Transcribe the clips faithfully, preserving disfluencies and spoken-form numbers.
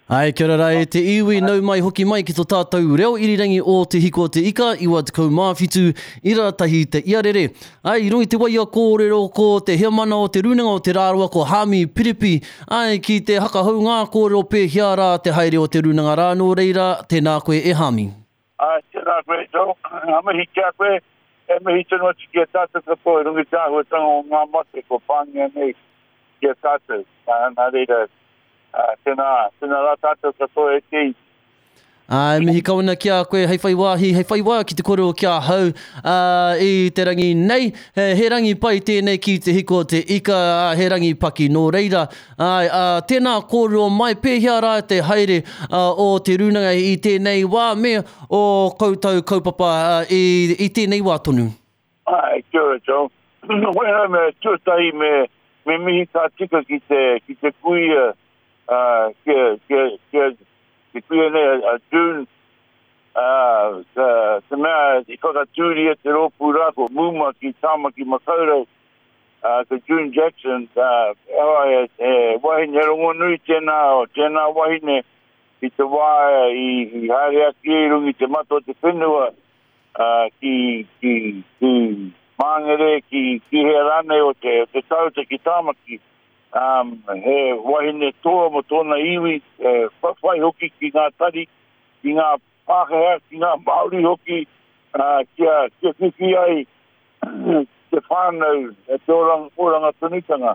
Ai, kia ora rā e te iwi, nau mai hoki mai ki tō tātou reo irirangi o Te Hiko o Te Ika, iwa tekau mā whitu, ira tahi te iarere. Ai, i runga i te waia kōrero ko te heamana o te Rūnanga o Te Rarawa ko Hāmi Piripi, ai, ki te hakahau ngā kōrero pēhea rā te haere o te Rūnanga rā, nō reira, tēnā koe e Hāmi. Ai, tēnā koe, Joe. Ngā mihi ki a koe, e mihi tonu atu ki a tātou katoa i runga i te āhuatanga o ngā mate kua pāngia nei ki a tātou. Nā, nā reira, Uh, tēnā, tēnā rā tātou katoa e te iwi. Ai, mihi kau ana ki a koe, hei whai wāhi, hei whai wā ki te kōrero ki ahau, uh, i te rangi nei. He, he rangi pai tēnei ki Te Hiko o Te Ika, uh, he rangi paki nō reira. Ai, uh, tēnā kōrero mai, pēhea rā te haere uh, o te rūnanga i tēnei wā me o koutou kaupapa uh, i, i tēnei wā tonu? Ai, kia ora, Joe. Wena me tuatahi me, me mihi ka tika ki te, ki te kuia, Uh, kia, kia, kia, te kuia nei a, a June, uh, te, te mea i whakatūria te rōpū rā ko Muma ki Tāmaki Makaurau, uh, ko June Jackson, uh, e, e wahine rongonui tēnā, o tēnā wahine i te wā i, i haere ake i runga i te mata o te whenua, uh, ki, ki, ki Māngere, ki, ki hea rānei o te, o te tauta ki Tāmaki. Um, he wahine toa mo tōna iwi, e, whawhai hoki ki ngā tari, ki ngā Pākehā, ki ngā Māori hoki, uh, kia, kia whiwhi ai te whānau e te oranga, oranga tonutanga.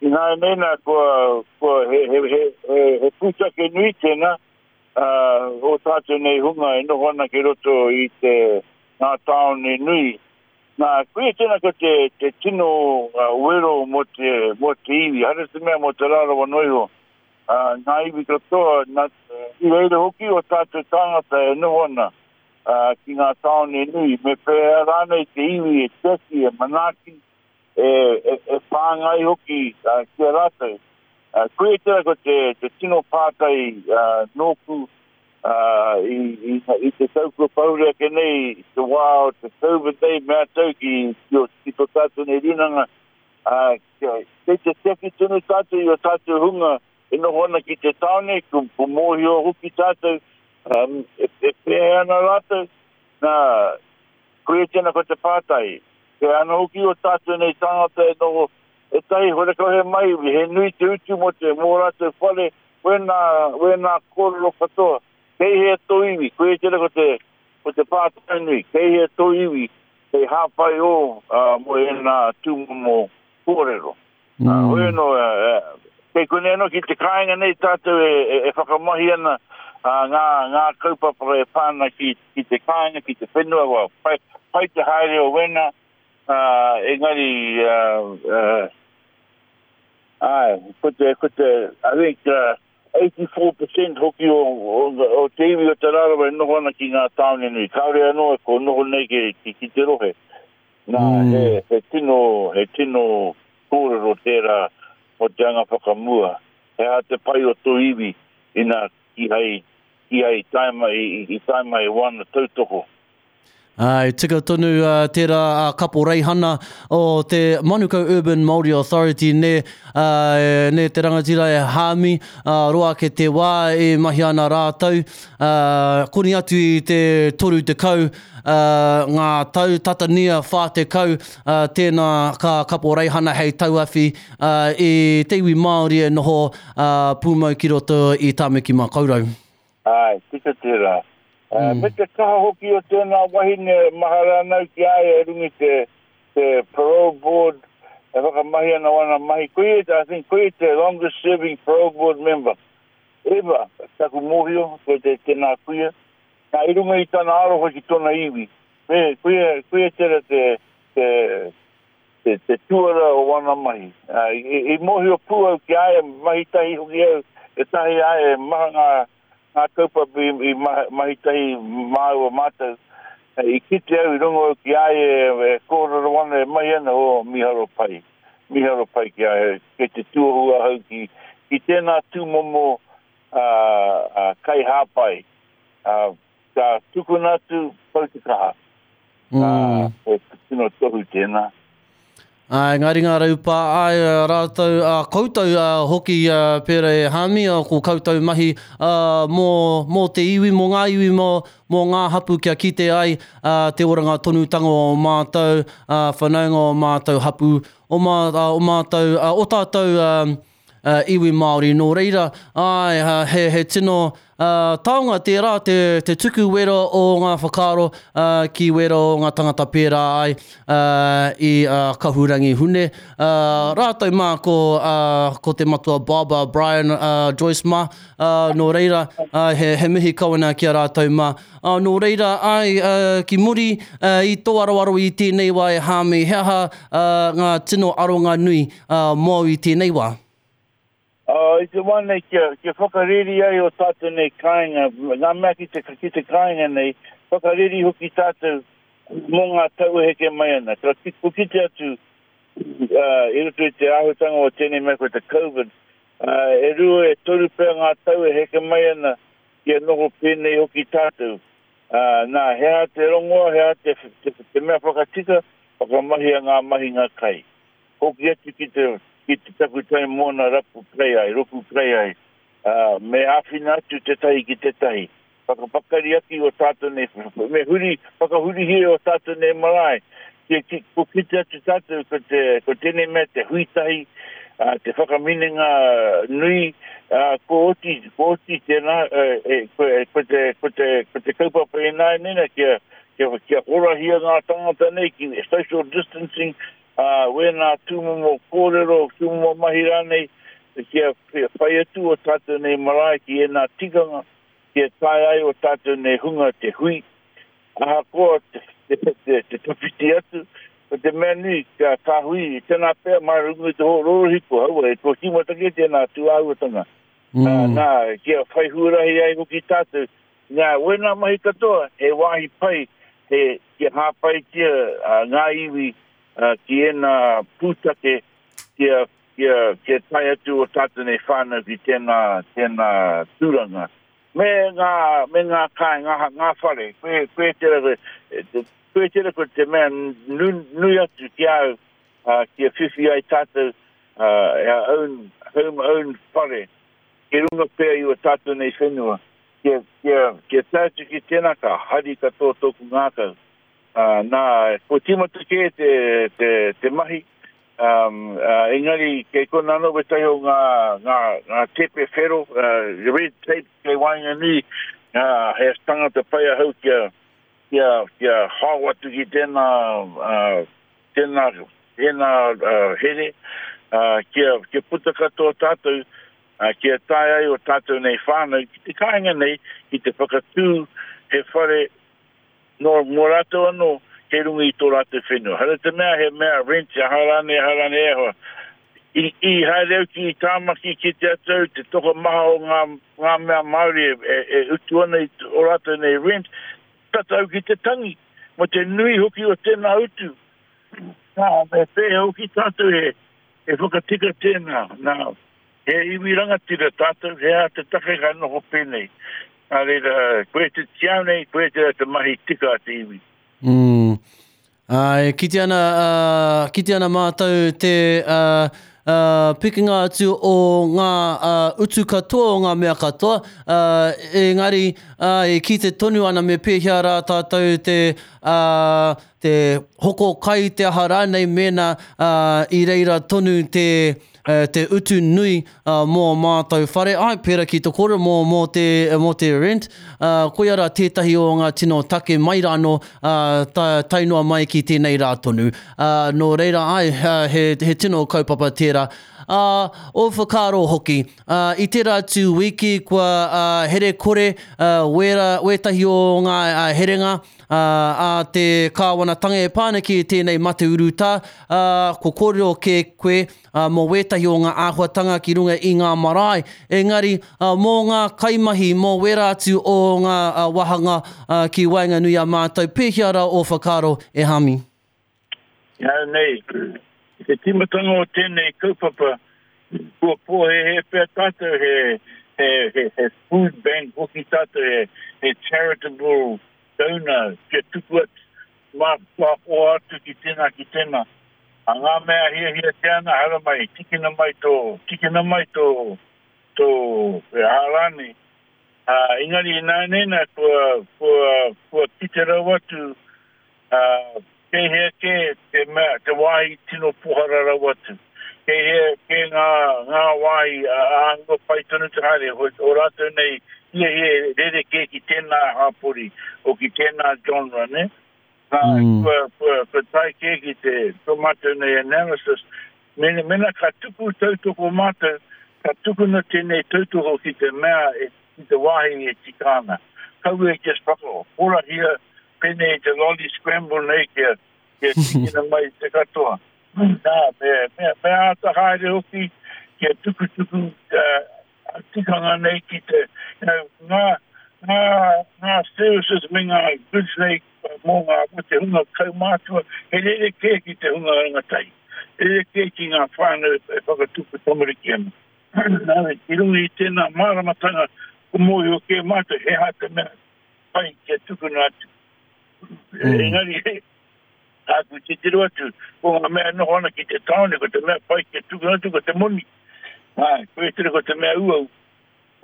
Ināianei nā, kua, kua he, he, he, he, he pūtake nui tēnā, uh, o tātou nei hunga e noho ana ki roto i te ngā tāone nui. Nā, koia tēnā ko te, te tino uh, wero mō te, mō te iwi, haere te mea mō Te Rarawa noa iho. Uh, ngā iwi katoa, nā, i reira hoki o tātou tāngata e noho ana uh, ki ngā tāone nui. Me pēhea rānei te iwi e tiaki, e manaaki, e, e, e whāngai hoki uh, ki a rātou. Uh, koia tēnā ko te, te tino pātai uh, nōku, Uh, i, i, i te tau kua pahure ake nei, i te wā o te COVID nei, mea tau ki, ki, ki tō tātou nei rūnanga, uh, kei te tiaki tonu tātou i o tātou hunga e noho ana ki te tāone, ko, ko mōhio hoki tātou, um, e, e pēhea ana rātou, nā, koia tēnā ko te pātai. Te ana hoki o tātou nei tāngata e noho, e tahi horekau he mai, he nui te utu mō te mō rātou whare, wēnā, wēnā kōrero katoa. Kei hea tō iwi, koia tēnā ko te, ko te pātai nui, kei hea tō iwi, kei hāpai o uh, mō ēnā tūmomo kōrero. Mm. Uh, hoi anō, uh, kei konei anō ki te kāinga nei tātou e, e, e whakamahi ana uh, ngā, ngā kaupapa e pā ana ki, ki te kāinga, ki te whenua, well, pai, pai te haere o wēnā, uh, engari, uh, uh, ai, ko te, ko te, I think, uh, eighty-four percent hoki o, o, o te iwi o Te Rarawa e noho ana ki ngā tāone nui. Kāore anō e ko noho nei ki, ki, ki te rohe. Nā, mm. he, he tino, he tino kōrero tērā o te anga whakamua. He aha te pai o tō iwi ina ki hei, ki hei tae mai, i, i tae mai wana tautoko. Ai, tika tonu uh, tērā uh, kapo reihana o te Manukau Urban Māori Authority ne, uh, ne te rangatira e Hāmi, uh, roa ake te wā e mahi ana rātou, uh, koni atu i te toru tekau, uh, ngā tau tatania whā tekau, uh, tēnā ka kapo reihana hei tauawhi uh, i te iwi Māori e noho uh, pūmau ki roto i Tāmaki Makaurau. Ai, tika tērā. Mm. Me te kaha hoki o tēnā wahine mahara anau ki a ia e runga i te, te parole board e whakamahi ana wana mahi. Koia, I think, koia te longest serving parole board member ever, taku mōhio, koe te tēnā kuia. Nā, i runga i tana aroha ki tōna iwi. Me, koia, koia tera te, te, te, te tuara o wana mahi. Uh, i, i mōhio pū au ki a ia, mahi tahi hoki au, e tahi a ia, maha ngā ngā kaupapa i, i mahi tahi māua mātou. I kite au i rongo au ki a ia e, e kōrero ana e mahi ana, o miharo pai. Miharo pai ki a ia, kei te tuohu ahau ki, ki tēnā tūmomo uh, uh, kai hāpai. Uh, ka tukuna atu pau te kaha. Mm. Uh, e tino tohu tēnā. Ai, ngā ringa raupā, ai, rātou, uh, koutou uh, hoki uh, pērā e Hami, uh, ko koutou mahi uh, mō, mō te iwi, mō ngā iwi, mō, mō ngā hapu kia kite ai uh, te oranga tonutanga o mātou, uh, whanaunga o mātou hapu, o, mā, uh, o mātou, uh, o tātou um, uh, iwi Māori. Nō reira, ai, uh, he, he tino uh, taonga tērā te, te tuku wera o ngā whakaaro uh, ki wera o ngā tangata pērā ai uh, i uh, Kahurangi Hune. Uh, rātou mā ko, uh, ko te matua Baba Brian uh, Joyce mā, uh, nō reira, uh, he, he mihi kawana ki a rātou mā. Uh, nō reira, ai, uh, ki muri uh, i tō aroaro i tēnei wā e Hami, he aha uh, ngā tino aronga nui uh, mōu i tēnei wā? Uh, i te wā nei kia, kia whakareri ai o tātou nei kāinga, ngā mea ki te, ki te kāinga nei, whakareri hoki tātou mō ngā tau e heke mai ana. Ka ki, ko kite atu uh, i roto i te āhuatanga o tēnei mea ko te COVID, uh, e rua e toru pea ngā tau e heke mai ana kia noho pēnei hoki tātou. Uh, nā, he aha te rongoa, he aha te, te, te mea whakatika, whakamahia ngā mahinga kai. Hoki atu ki te ki te takutai mōna rapu kai ai, roku kai ai, uh, me āwhina atu te tahi ki te tahi. Whakapakari ake o tātou nei, me huri, whakahurihia o tātou nei marae. Ki, ki, ko kite atu tātou ko, te, ko tēnei mea te hui tahi, uh, te whakaminenga nui, uh, ko oti, ko oti tēnā, uh, e, ko, ko, te, ko, te, ko te kaupapa e nāi nena kia, kia, kia horahia ngā tangata nei ki social distancing, uh, wēnā tūmomo kōrero, tūmomo mahi rānei, kia whai atu o tātou nei marae ki ēnā tikanga, kia tae ai o tātou nei hunga te hui, ahakoa te, te, te, te tawhiti atu, ko te mea nui, ka, ka hui, tēnā pea mai runga i te rorohiko, haua, e tō tīmata ke tēnā tūāhuatanga. Mm. Uh, nā, kia whai huarahi ai hoki tātou, nā, wēnā mahi katoa, he wāhi pai, he, kia hāpaitia uh, ngā iwi, uh, ki ēnā pūtake, kia, kia, kia tae atu o tātou nei whānau ki tēnā, tēnā tūranga. Me ngā, me ngā kai, ngā, ngā whare, koe, koe tera, koe tera ko te mea nui, nui atu ki au, uh, kia whiwhi ai tātou, uh, our own, home own whare, ki runga pea i o tātou nei whenua. Kia, kia, kia tae atu ki tēnā ka hari katoa tōku ngākau. Uh, nā, ko tīmata kē te, te, te mahi, um, uh, engari kei kona anō wētahi o ngā, ngā, ngā tepe whero, uh, red tape kei waenganui, uh, he tangata pai ahau kia, kia, kia hao atu ki tēnā, uh, tēnā, tēnā uh, here, uh, kia, kia puta katoa tātou, uh, kia tae ai o tātou nei whānau, ki te kāinga nei, ki te whakatū he whare nō mō rātou anō, kei runga i tō rātou whenua. Hara te mea he mea rent, aha rānei, aha rānei e hoa. I, i haere au ki Tāmaki ki te atu, te tokomaha o ngā, ngā mea Māori e, e, e utu ana i o rātou nei rent, tata au ki te tangi, mo te nui hoki o tēnā utu. Nā, me pēhea hoki tātou he, he whakatika tēnā. Nā, he iwi rangatira tātou, he aha te take ka noho pēnei. Nā reira, koe te tiau nei, koe te, te mahi tika a te iwi. Mm. Uh, kite ana, uh, kite ana mātou te uh, uh, pikinga atu o ngā uh, utu katoa, o ngā mea katoa, uh, engari uh, e kite tonu ana me pēhea rā tātou te, uh, te hoko kai te aha rānei mēnā uh, i reira tonu te, uh, te utu nui uh, mō mātou whare. Ai, pērā ki te kōrero mō, mō, te, mō te rent, uh, koia rā tētahi o ngā tino take mai rāno uh, ta, tae noa mai ki tēnei rā tonu. Uh, nō reira, ai, uh, he, he tino kaupapa tērā. Uh, o whakaaro hoki, uh, i tērā atu wiki kua uh, here kore uh, wera, wētahi o ngā uh, herenga uh, a te kāwanatanga e pā ana ki tēnei mate urutā, uh, ko kōrero kē koe uh, mō wētahi o ngā āhuatanga ki runga i ngā marae. Engari, uh, mō ngā kaimahi, mō wera atu o ngā uh, wāhanga uh, ki waenganui a mātou, pēhea rā o whakaaro e Hami? Ia nei, te tīmatanga o tēnei kaupapa, kua pōhēhē pea tātou he, he, he, he food bank hoki tātou, he, he charitable donor, kia tuku atu, mā, mā hoa atu ki tēnā, ki tēnā. A ngā mea hiahiatia ana, haramai, tikina mai tō, tikina mai tō, tō e aha rānei. Uh, engari ināianei nā, kua, kua, kua kite rawa atu, uh, kei hea kē te mea, te wāhi tino pohara rawa atu. Kei hea kē ngā, ngā wāhi āhua pai tonu te haere, o, o rātou nei hiahia rerekē ki tēnā hapori, o ki tēnā genre, ne? Nā, mm. kua, kua, kua tae kē ki te tō mātou nei analysis. Mena, mena ka tuku tautoko mātou, ka tukuna tēnei tautoko ki te mea, e, ki te wāhi e tika ana. Kaua e just whakahorahia pēnei te lolly scramble nei kia, kia tikina mai te katoa. Nā, me, me, me āta haere hoki kia tukutuku uh, tikanga nei ki te, you know, ngā, ngā, ngā services me ngā goods nei mō ngā, mō te hunga kaumātua, he rerekē ki te hunga rangatahi. He rerekē ki ngā whānau e whakatupu tamariki ana. Nā, i runga i tēnā māramatanga, ko mōhio kē mātou, he aha te mea pai kia tukuna atu. Mm. Engari, tāku titiro atu, ko ngā mea noho ana ki te tāone, ko te mea pai kia tukuna atu, ko te moni. Ā, koe tere ko te mea uau.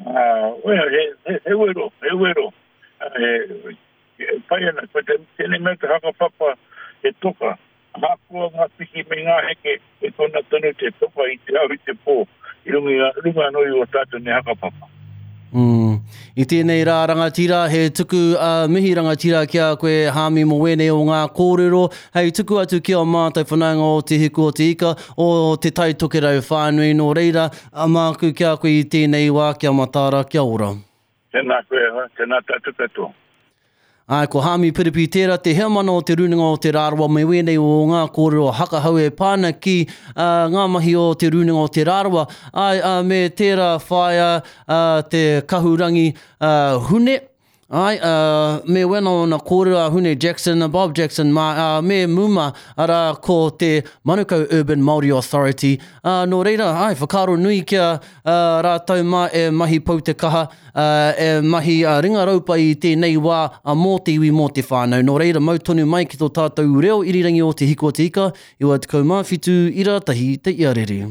Ā, well, he, he, he wero, he wero. He, e pai ana, ko te, tēnei mea te whakapapa he toka. Ahakoa ngā piki me ngā heke, e kona tonu te toka i te ao i te pō, i runga, runga anō i o tātou nei whakapapa. Mm. I tēnei rā rangatira, he tuku uh, mihi rangatira ki a koe Hāmi mō wēnei o ngā kōrero, hei tuku atu ki a mātou whanaunga o Te Hiku o Te Ika, o Te Tai Tokerau whānui nō reira, a māku ki a koe i tēnei wā, kia mataara, kia ora. Tēnā koe, tēnā tātou katoa. Ai, ko Hāmi Piripi tērā te heamana o te Rūnanga o Te Rarawa me wēnei o ngā kōrero hakahau e pāna ki uh, ngā mahi o te Rūnanga o Te Rarawa. Ai, uh, me tērā whaia uh, te kahurangi uh, Hune. Ai, uh, me wena o na kōrero a Hune Jackson, Bob Jackson, ma, uh, me Muma, ara ko te Manukau Urban Māori Authority. Uh, nō reira, ai, whakaaro nui kia uh, rātou mā e mahi pau te kaha, uh, e mahi uh, ringa raupa i tēnei wā uh, mō te iwi mō te whānau. Nō reira, mau tonu mai ki tō tātou reo irirangi o Te Hiku o Te Ika, iwa tekau mā whitu ira tahi te iarere.